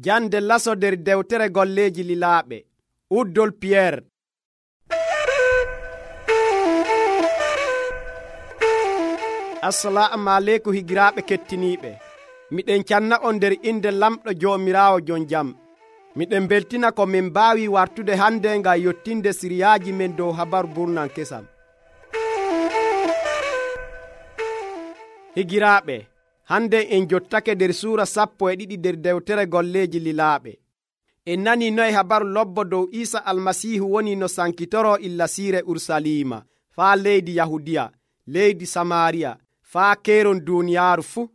Jande laso nder dewtere golleeji lilaaɓe. Uddol Piyeer. Assalamu aleykum higiraaɓe kettiniiɓe. Miɗen canna on nder inde lamɗo Joomiraawo jon jam. Miɗen beltina ko min mbaawi wartude hande ngam yottinde siriyaaji men dow habaru burnan kesam. Higiraaɓe, hande en jottake nder suura 12 nder dewtere golleeji lilaaɓe. En nani noye habaru lobbo dow Iisa almasiihu woni no sankitoro illa siire Urusalima faa leydi Yahudiya, leydi Samaariya, faa keeron duuniyaaru fuu.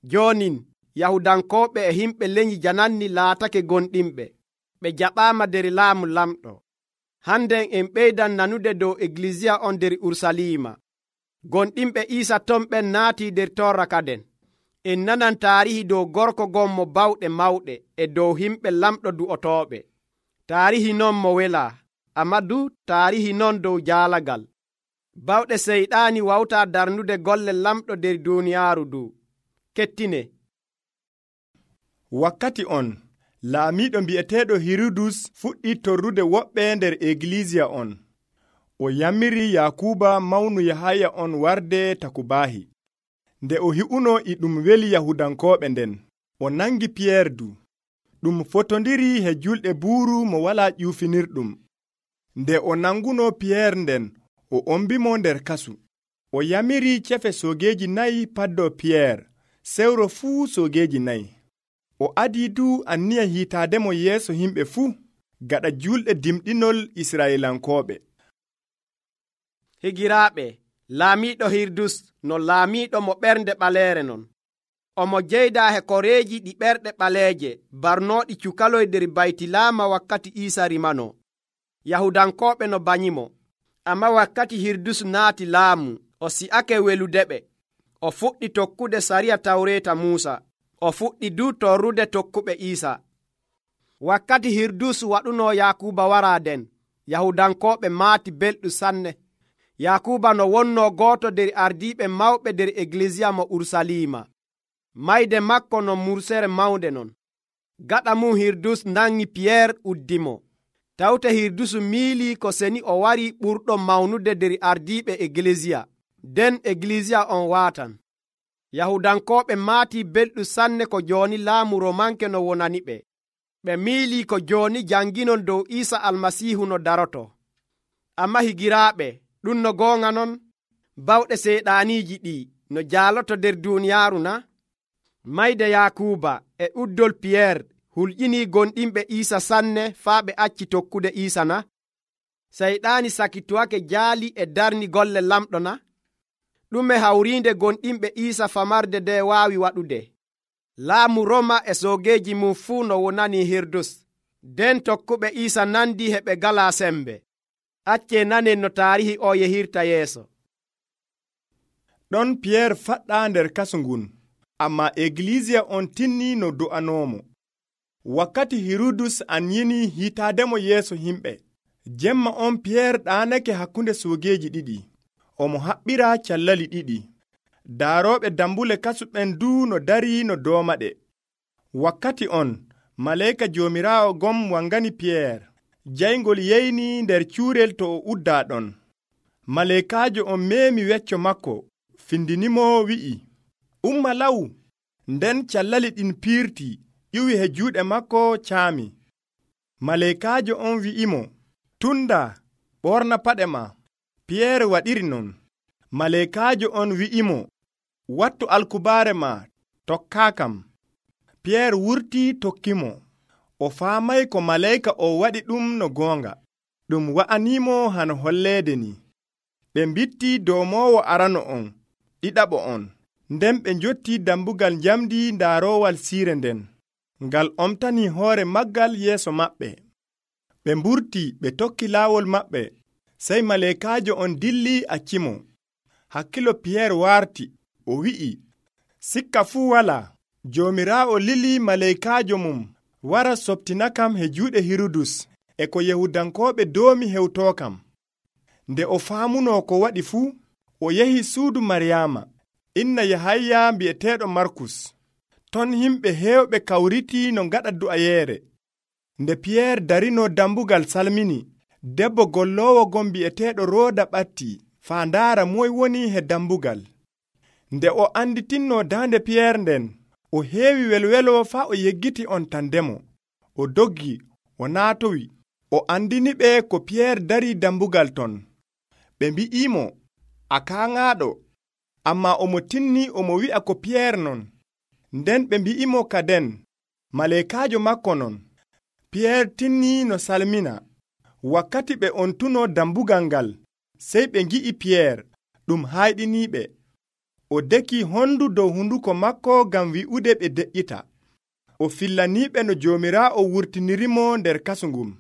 Joonin Yahudankooɓe e himɓe leñi jananni laatake gonɗinɓe, ɓe jaɓaama nder laamu lamɗo. Handen en ɓeydan nanude dow Eglisiya on nder Urusalima. Gonɗinɓe Iisa ton ɓen naatii nder torra kaden. En nanan taarihi dow gorko gon mo bawɗe mawɗe e dow himɓe lamɗo du'otooɓe. Taarihi non mo welaa, amma du taarihi non dow jaalagal. Bawɗe seyɗaani wawtaa darnude golle lamɗo nder duuniyaaru du. Kettine. Wakkati on, laamiiɗo mbi'eteeɗo Hirudus fuɗɗi torrude woɓɓe nder Eglisiya on. O yammiri Yakuba mawnu Yahaya on warde takubaahi. Nde o hi'uno e ɗum weli Yahudankooɓe nden, o nangi Piyeer du. Ɗum fotondiri he julɗe buuru mo walaa ƴuufinirɗum. Nde o nanguno Piyeer nden, o ombimo nder kasu. O yamiri cefe soogeeji 4 paddo Piyeer, sewro fuu soogeeji 4. O adii du anniya hiitaademo yeeso himɓe fuu, gaɗa julɗe dimɗinol Israa'ilankooɓe. Higiraaɓe, laamiiɗo Hirudus no laamiiɗo mo ɓernde ɓaleere non. Omo jeydaa he koreeji ɗi ɓerɗe ɓaleeje barnooɗi cukaloy nder baytilaama wakkati Iisa rimano. Yahudankooɓe no banyimo. Amma wakkati Hirudus naati laamu, o si'ake weludeɓe. O fuɗɗi tokkude sariya Tawreeta Muusa. O fuɗɗi du torrude tokkuɓe Iisa. Wakkati Hirudus waɗuno Yakuba waraa den, Yahudankooɓe maati belɗum sanne. Yakuba no wonno gooto nder ardiiɓe mawɓe nder Eglisiya mo Urusalima. Mayde makko no mursere mawnde non. Gaɗa mum Hirudus nangi Piyeer uddimo. Tawte Hirudus miilii ko seni o warii ɓurɗo mawnude nder ardiiɓe Eglisiya. Den Eglisiya on waatan. Yahudankooɓe maatii belɗum sanne ko jooni laamu Romanke no wonani ɓe. Ɓe miilii ko jooni janginon dow Iisa almasiihu no daroto. Amma higiraaɓe, ɗum no goonga non? Bawɗe seyɗaaniiji ɗii no jaaloto nder duuniyaaru na? Mayde Yakuba e uddol Piyeer hulƴinii gonɗinɓe Iisa sanne faa ɓe acci tokkude Iisa na? Seyɗaani sakituwake jaali e darni golle lamɗo na? Ɗume hawriinde gonɗinɓe Iisa famarde nde waawi waɗude? Laamu Roma e soogeeji mum fuu no wonanii Hirudus. Den tokkuɓe Iisa nandi heɓe galaa sembe. Accee nanen no taarihi o yehirta yeeso. Ɗon Piyeer faɗɗaa nder kasu ngun, amma Eglisiya on tinnii no do'anoomo. Wakkati Hirudus anyini hiitaademo yeeso himɓe. Jemma on Piyeer ɗaanake hakkunde soogeeji ɗiɗi. Omo haɓɓira callali 2. Daarooɓe dambule kasu ɓen du no darii no doomaɗe. Wakkati on, maleeka Joomiraawo gom wangani Piyeer. Jayngol yeyni nder cuurel to o uddaa ɗon. Maleekaajo on meemi wecco makko, findinimo wi'i, umma law. Nden callali ɗin piirti, ƴiwi he juuɗe makko caami. Maleekaajo on wi'imo, tunda, ɓorna paɗe ma. Piyeer waɗiri non. Maleekaajo on wi'imo, wattu alkubaare ma, tokkaakam. Piyeer wurtii tokkimo. O faamay ko maleyka o waɗi ɗum no goonga. Ɗum wa'animo hano holleede ni. Ɓe mbitti domoowo arano on, ɗiɗaɓo on. Nden ɓe njotti dambugal njamdi daarowal siire nden. Ngal omtani hoore maggal yeeso maɓɓe. Ɓe mburti ɓe tokki laawol maɓɓe. Sey maleekaajo on dilli accimo. Hakkilo Piyeer warti, o wi'i, sikka fuu walaa. Joomiraawo lili maleekaajo mum wara soptinakam he juuɗe Hirudus e ko Yahudankooɓe doomi hewtookam. Nde o faamuno ko waɗi fuu, o yehi suudu Maryaama, inna Yahaya mbi'eteeɗo Markus. Ton himɓe heewɓe kawritii no ngaɗa du'ayeere. Nde Piyeer darino dambugal salmini, debbo golloowo gon bi'eteeɗo Rooda ɓattii faa ndaara moy woni he dambugal. Nde o anditinno daande Piyeer nden, o heewi welwelo faa o yeggiti on tandemo. O doggi, o naatowi, o andiniɓe ko Piyeer darii dambugal ton. Ɓe mbi'imo, a kaaŋaaɗo, ammaa omo tinni omo wi'a ko Piyeer non. Nden ɓe mbi'imo kaden, maleekaajo makko non. Piyeer tinni no salmina. Wakkati ɓe on tuno dambugal ngal, sey ɓe ngi'i Piyeer, ɗum hayɗiniiɓe. O deki hondu dow hunduko makko ngam wi'ude ɓe de'ita. O fillaniiɓe no Joomiraawo wurtinirimo nder kasu ngun.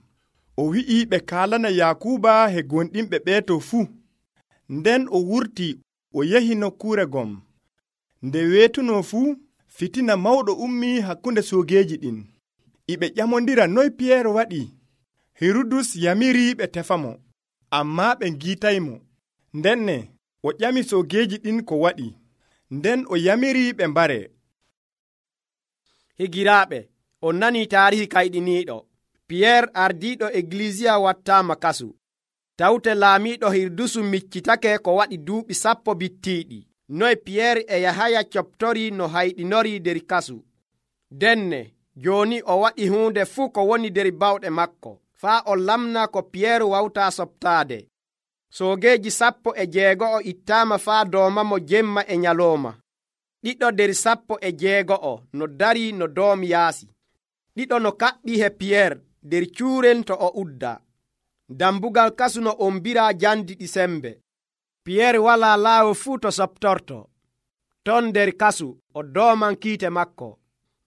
O wi'i ɓe kaalana Yaakuuba he gonɗinɓe ɓeeto fuu. Nden o wurti o yehi nokkuure gom. Nde weetuno fuu, fitina mawɗo ummii hakkunde soogeeji ɗin. Iɓe ƴamondira noy Piyeer waɗi. Hirudus yamiri ɓe tefamo, ammaa ɓe ngiitaymo. Ndenne o ƴami soogeeji ɗin ko waɗi. Nden o yamiri ɓe mbare. Higiraaɓe, on nanii taarihi kayɗiniiɗo. Piyeer ardiiɗo Eglisiya wattaama kasu. Tawte laamiiɗo Hirdusu miccitake ko waɗi duuɓi 10 bittiiɗi. Noy Piyeer e Yahaya coptori no hayɗinori der kasu. Denne jooni o waɗi huunde fuu ko woni der bawɗe makko, faa o lamna ko Piyeer wawtaa soɓtaade. Soogeeji 16 ittaama faa doomamo jemma e nyalooma. Ɗiɗo der 16 no darii no doom yaasi. Ɗiɗo no kaɓɓi he Piyeer der cuuren to o udda. Dambugal kasu no ombiraa jandi ɗi sembe. Piyeer walaa laawo fuu to soɓtorto. Ton nder kasu o dooman kiite makko.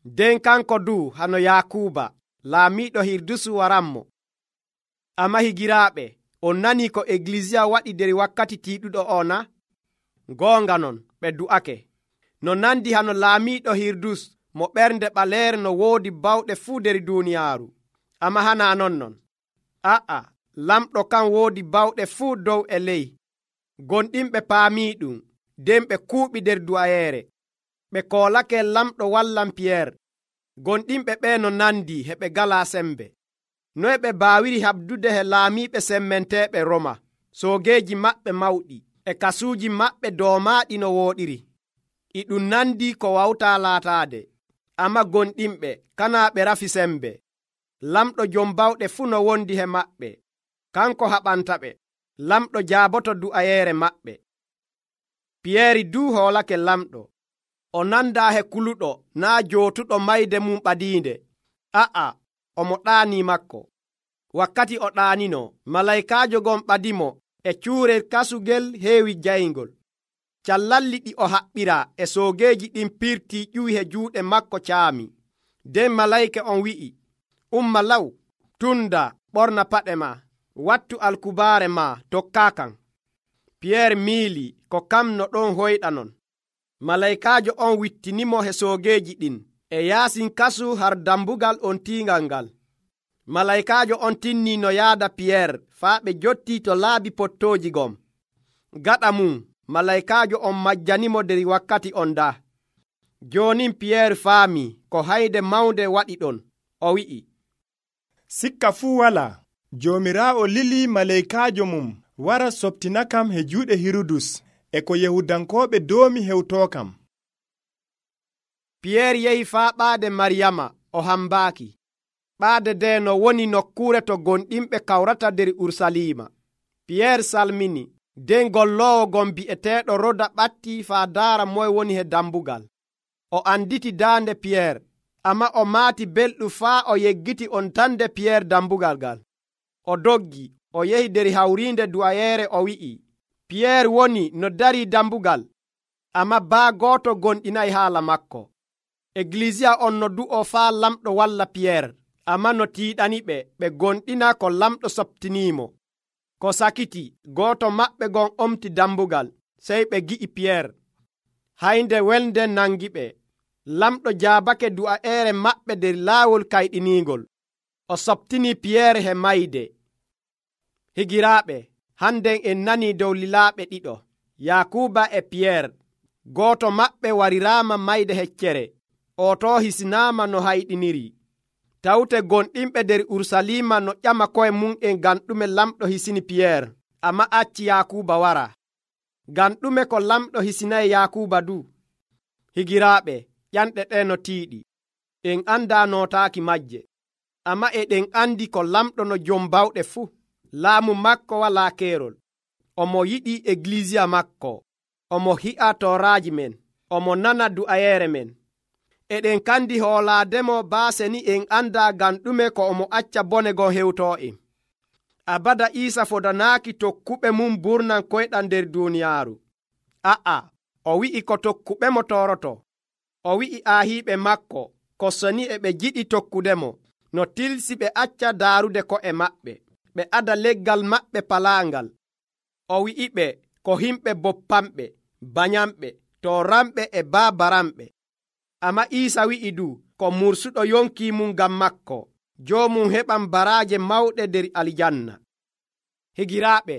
Den kanko du hano Yaakuuba, laamiiɗo Hirdusu waranmo. Amma higiraaɓe, on nanii ko Eglisiya waɗi der wakkati tiiɗuɗo o na? Goonga non, ɓe du'ake. No nandi hano laamiiɗo Hirdus mo ɓernde ɓaleere no woodi bawɗe fuu der duuniyaaru. Amma hana non. Lamɗo kan woodi bawɗe fuu dow e ley. Gonɗinɓe paamii ɗum, nden ɓe kuuɓi der du'ayeere. Ɓe koolake lamɗo wallan Piyeer. Gonɗinɓe ɓee no nandi heɓe galaa sembe. Noy ɓe baawiri habdude he laamiiɓe semmenteeɓe Roma, soogeeji maɓɓe mawɗi, e kasuuji maɓɓe doomaaɗi no wooɗiri. E ɗum nandi ko wawtaa laataade. Amma gonɗinɓe kanaa ɓe rafi sembe. Lamɗo jom bawɗe fuu no wondi he maɓɓe. Kanko haɓanta ɓe. Lamɗo jaaboto du'ayeere maɓɓe. Piyeeri duu hoolake lamɗo. O nandaa he kuluɗo naa jootuɗo mayde mum ɓadiinde. Omo ɗaanii makko. Wakkati o ɗaanino, malaykaajo gon ɓadimo e cuurel kasugel heewi jayngol. Callalli ɗi o haɓɓiraa e soogeeji ɗin pirtii ƴuwi he juuɗe makko caami. Nden malayka on wi'i, umma law, tunda, ɓorna paɗe ma, wattu alkubaare ma, tokkaa kan. Piyeer miili ko kam no ɗon hoyɗanon. Malaykaajo on wittinimo he soogeeji ɗin e yaasin kasu har dambugal on tiingal ngal. Malaykaajo on tinnii no yaada Piyeer faa ɓe jottii to laabi pottooji gom. Gaɗa mum, malaykaajo on majjanimo der wakkati on daa. Joonin Piyeer faamii ko hayde mawnde waɗi ɗon. O wi'i, sikka fuu walaa. Joomiraawo lilii malaykaajo mum wara soɓtinakam he juuɗe Hirudus e ko Yahudankooɓe doomi hewtookam. Piyeer yehi faa ɓaade Maryama o hambaaki. Ɓaade nde no woni nokkuure to gonɗinɓe kawrata der Ursaliima. Piyeer salmini, nden golloowo gon bi'eteeɗo Roda ɓattii faa daara moy woni he dambugal. O anditi daande Piyeer, amma o maati belɗum faa o yeggiti on tande Piyeer dambugal ngal. O doggi, o yehi der hawriinde du'ayeere o wi'i, Piyeer woni no darii dambugal, amma baa gooto gonɗinayi haala makko. Eglisiya on no du'o faa lamɗo walla Piyeer, amma no tiiɗani ɓe gonɗina ko lamɗo soɓtiniimo. Ko sakiti, gooto maɓɓe gon omti dambugal, sey ɓe gi'i Piyeer. Haynde welde nangi ɓe. Lamɗo jaabake du'ayeere maɓɓe der laawol kayɗiniingol. O soɓtini Piyeer he mayde. Higiraaɓe, hannden en nanii dow lilaaɓe ɗiɗo, Yaakuuba e Piyeer. Gooto maɓɓe wariraama mayde heccere. o to hisinaama no hayɗiniri. Tawte gonɗinɓe nder Urusalima no ƴama koye mum en ngam ɗume lamɗo hisini Piyeer, amma acci Yakuuba wara. Ngam ɗume ko lamɗo hisinayi Yakuuba du? Higiraaɓe, ƴanɗe ɗe no tiiɗi. En anda nootaaki majje, amma eɗen andi ko lamɗo no jom bawɗe fuu. Laamu makko walaa keerol. Omo yiɗi eglisiya makko. Omo hi'a tooraaji men. Omo nana du'ayeere men. Eɗen kandi hoolaademo baase ni en anda ngam ɗume ko omo acca bone gon hewtoo'en. Abada Iisa fodanaaki tokkuɓe mum burnan koyɗam nder duuniyaaru. O wi'i ko tokkuɓemo tooroto. O wi'i aahiiɓe makko ko soni e ɓe jiɗi tokkudemo no tilsi ɓe acca daarude ko'e maɓɓe, ɓe ada leggal maɓɓe palaangal. O wi'iɓe ko himɓe boppanɓe, banyamɓe, tooranɓe e baabaranɓe. Amma Iisa wi'i du ko mursuɗo yonkii mum ngam makko, joomum heɓan baraaje mawɗe nder aljanna. Higiraaɓe,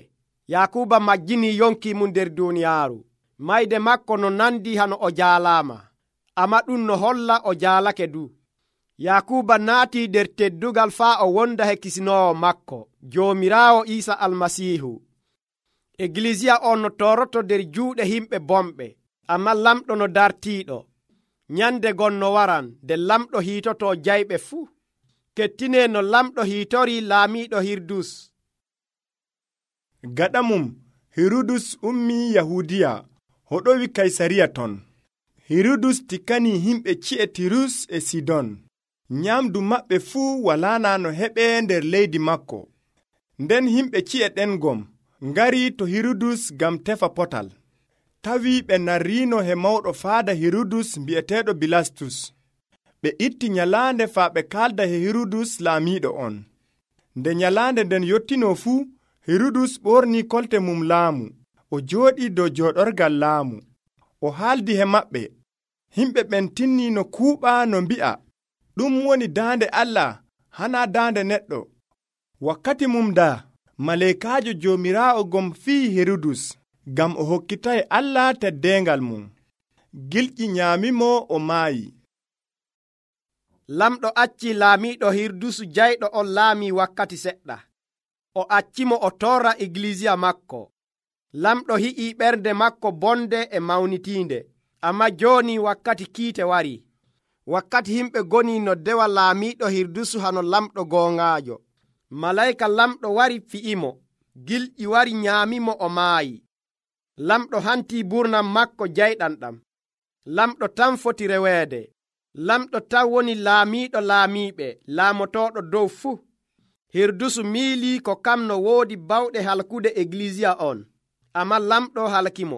Yakuuba majjinii yonkii mum nder duuniyaaru. Mayde makko no nandi hano o jaalaama, amma ɗum no holla o jaalake du. Yakuuba naatii nder teddugal faa o wonda he kisinoowo makko, Joomiraawo Iisa Almasiihu. Eglisiya on no tooroto nder juuɗe himɓe bomɓe, amma lamɗo no dartiiɗo. Nyande gon no waran nde lamɗo hiitotoo jayɓe fuu. Kettinee no lamɗo hiitorii laamiiɗo Hirudus. Gaɗa mum Hirudus ummii Yahudiya hoɗowi Kaysariya ton. Hirudus tikkanii himɓe ci'e Tirus e Sidon. Nyamdu maɓɓe fuu walaana no heɓee nder leydi makko. Nden himɓe ci'e ɗen gom ngarii to Hirudus ngam tefa potal. Tawi ɓe narriino he mawɗo faada Hirudus bi'eteeɗo Bilastus. Ɓe itti nyalaande faa ɓe kaalda he Hirudus laamiiɗo on. Nde nyalaande nden yottinoo fuu, Hirudus ɓornii kolte mum laamu. O jooɗii dow jooɗorgal laamu. O haaldi he maɓɓe. Himɓe ɓen tinnii no kuuɓaa no mbi'a, ɗum woni daande Allah, hanaa daande neɗɗo. Wakkati mum daa, maleekaajo Joomiraawo gom fii Hirudus, ngam o hokkitay Allah teddeengal mum. Gilƴi nyaamimo o maayi. Lamɗo accii laamiiɗo Hirudusu jayɗo on laamii wakkati seɗɗa. O accimo o torra eglisiya makko. Lamɗo hi'ii ɓernde makko bonde e mawnitiinde, amma jooni wakkati kiite wari. Wakkati himɓe goni no dewa laamiiɗo Hirudusu hano lamɗo gooŋaajo. Malayka lamɗo wari fi'imo, gilƴi wari nyaamimo o maayi. Lamɗo hantii burnam makko jayɗam ɗam. Lamɗo tan foti reweede. Lamɗo tan woni laamiiɗo laamiiɓe, laamotooɗo dow fuu. Hirudusu miilii ko kam no woodi bawɗe halkude eglisiya on, amma lamɗo halkimo.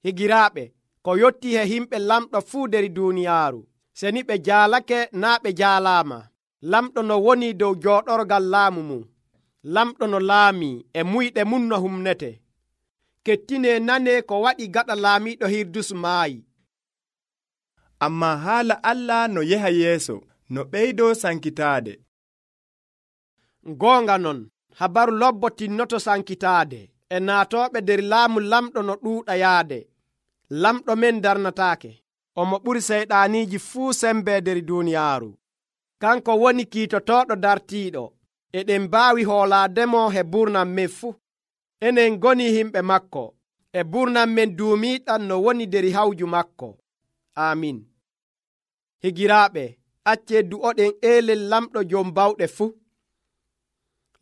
Higiraaɓe, ko yotti he himɓe lamɗo fuu nder duuniyaaru, seni ɓe jaalake naa ɓe jaalaama. Lamɗo no woni dow jooɗorgal laamu mum, lamɗo no laamii e muyɗe mum no humnete. Kettinee nanee ko waɗi gaɗa laamiiɗo Hirudusu maayi. Ammaa haala Allah no yeha yeeso, no ɓeydoo sankitaade. Goonga non, habaru lobbo tinnoto sankitaade, e naatooɓe nder laamu lamɗo no ɗuuɗa yaade. Lamɗo men darnataake, omo ɓuri seyɗaaniiji fuu sembe nder duuniyaaru. Kanko woni kiitotooɗo dartiiɗo, eɗen mbaawi hoolaademo he burnam men fuu. Enen ngoni himɓe makko, e burnam men duumiiɗam no woni nder hawju makko. Amin. Higiraaɓe, accee du'oɗen eelel lamɗo jom bawɗe fuu.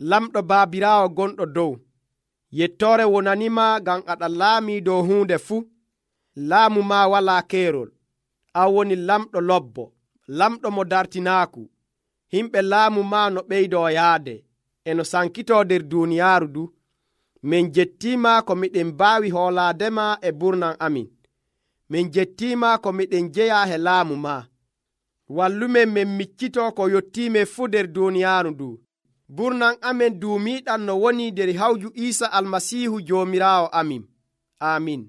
Lamɗo baabiraawo gonɗo dow, yettoore wonanima ngam aɗa laamii dow huunde fuu. Laamu ma walaa keerol. An woni lamɗo lobbo, lamɗo mo dartinaaku. Himɓe laamu ma no ɓeydoo yaade, e no sankitoo nder duuniyaaru du. Min jettiima ko miɗen mbaawi hoolaadema e burnam amin. Min jettiima ko miɗen jeyaa he laamu ma. Wallumen min miccitoo ko yottiimen fuu nder duuniyaaru ndu. Burnam amen duumiiɗam no woni nder hawju Iisa Almasiihu Joomiraawo amin. Amin.